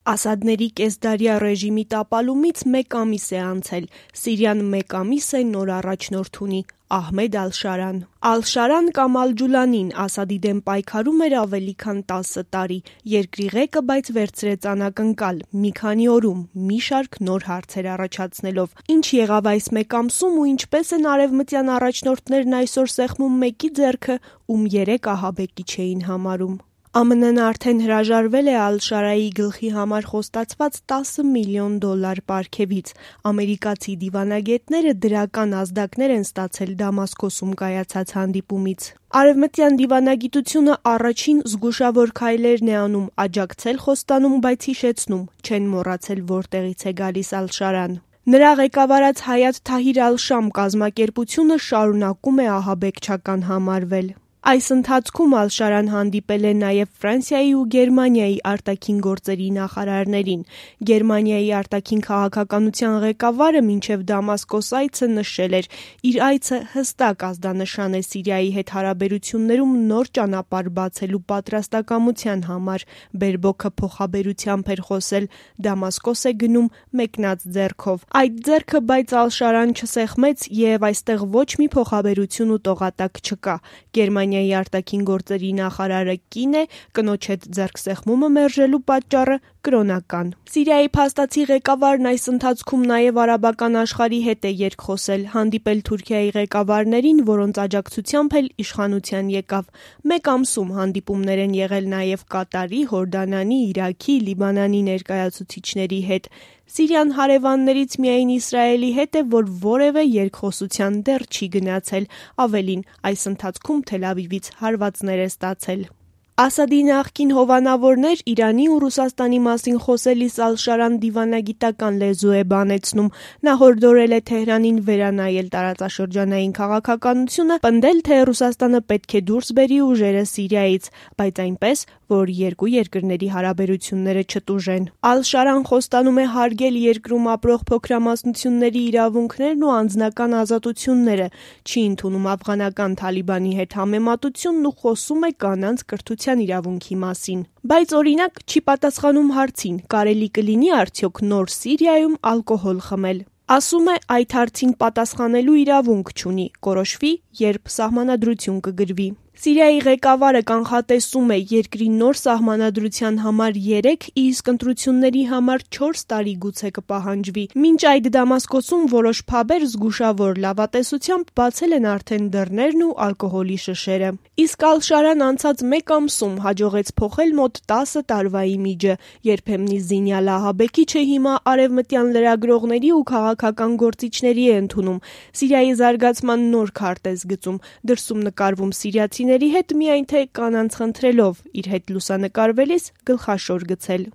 Ասադների կեսդարյա ռեժիմի տապալումից 1 ամիս է անցել, Սիրիան 1 ամիս է նոր առաջնորդ ունի՝ Ահմեդ Ալ-Շարան։ Ալ-Շարան կամ Ալ-Ջուլանին Ասադի դեմ պայքարում էր ավելի քան 10 տարի, երկրի ղեկը բայց վերցրեց անակնկալ, մի քանի օրում, մի շարք նոր հարցեր առաջացնելով։ Ինչ եղավ այս 1 ամսում ու ինչպես են արևմտյան առաջնորդներն այսօր սեղմում մեկի ձեռքը, ում 3 ահաբեկիչ էին համարում։ ԱՄՆ-ն արդեն հրաժարվել է Ալ-Շարայի գլխի համար խոստացված $10 միլիոն պարգևից։ Ամերիկացի դիվանագետները դրական ազդակներ են ստացել Դամասկոսում կայացած հանդիպումից։ Արևմտյան դիվանագիտությունը առաջին զգուշավոր քայլերն է անում՝ աջակցել խոստանում, բայց հիշեցնում՝ չեն մոռացել որտեղից է գալիս Ալ-Շարան։ Նրա ղեկավարած Հայաթ Թահիր Ալ-Շամ կազմակերպությունը շարունակում է ահաբեկչական համարվել։ Այս ընթացքում Ալ-Շարան հանդիպել է նաև Ֆրանսիայի ու Գերմանիայի արտաքին գործերի նախարարներին։ Գերմանիայի արտաքին քաղաքականության ղեկավարը մինչև Դամասկոս այցը նշել էր՝ իր այցը հստակ ազդանշան է Սիրիայի հետ հարաբերություններում նոր ճանապարհ բացելու պատրաստակամության համար։ Բերբոքը փոխաբերությամբ էր խոսել՝ Դամասկոս է գնում մեկնած ձեռքով։ Այդ ձեռքը բայց Ալ-Շարան չսեղմեց և այստեղ ոչ մի փոխաբերություն ու տողատակ չկա։ Գերմանիայի արտաքին գործերի նախարարը կին է, կնոջ հետ ձեռքսեղմումը մերժելու պատճառը կրոնական։ Սիրիայի փաստացի ղեկավարն այս ընթացքում նաև արաբական աշխարհի հետ է երկխոսել, հանդիպել Թուրքիայի ղեկավարներին, որոնց աջակցությամբ էլ իշխանության եկավ։ 1 ամսում հանդիպումներ են եղել նաև Կատարի, Հորդանանի, Իրաքի, Լիբանանի ներկայացուցիչների հետ։ Սիրիան հարևաններից միայն Իսրայելի հետ է, որ որևէ երկխոսության դեռ չի գնացել, ավելին՝ այս ընթացքում Թել Ավիվից հարվածներ է ստացել։ Ասադի նախկին հովանավորներ Իրանի ու Ռուսաստանի մասին խոսելիս Ալ-Շարան դիվանագիտական լեզու է բանեցնում։ Նա հորդորել է Թեհրանին վերանայել տարածաշրջանային քաղաքականությունը, պնդել, թե Ռուսաստանը պետք է դուրս բերի ուժերը Սիրիայից, բայց այնպես, որ երկու երկրների հարաբերությունները չտուժեն։ Ալ-Շարան խոստանում է հարգել երկրում ապրող փոքրամասնությունների իրավունքներն ու անձնական ազատությունները, չի ընդունում աֆղանական Թալիբանի հետ համեմատությունն ու խոսում է կանանց կրթության իրավունքի մասին։ Բայց օրինակ չի պատասխանում հարցին՝ կարելի կլինի արդյոք նոր Սիրիայում ալկոհոլ խմել։ Ասում է՝ այդ հարցին պատասխանելու իրավունք չունի, կորոշվի, երբ սահմանադրություն կգրվի։ Սիրիայի ղեկավարը կանխատեսում է՝ երկրի նոր սահմանադրության համար 3, իսկ ընտրությունների համար 4 տարի գուցե կպահանջվի։ Մինչ այդ Դամասկոսում որոշ փաբեր զգուշավոր լավատեսությամբ բացել են արդեն դռներն ու ալկոհոլի շշերը։ Իսկ Ալ-Շարան անցած 1 ամսում հաջողեց փոխել մոտ 10 տարվա իմիջը։ Երբեմնի զինյալ ահաբեկիչը հիմա արևմտյան լրագրողների ու քաղաքական գործիչների է ընդունում։ Սիրիայի զարգացման նոր քարտեզ գծում, դրսում նկարվում սիրիացիների հետ միայն թե կանանց խնդրելով, իր հետ լուսանկարվելիս գլխաշոր գցել։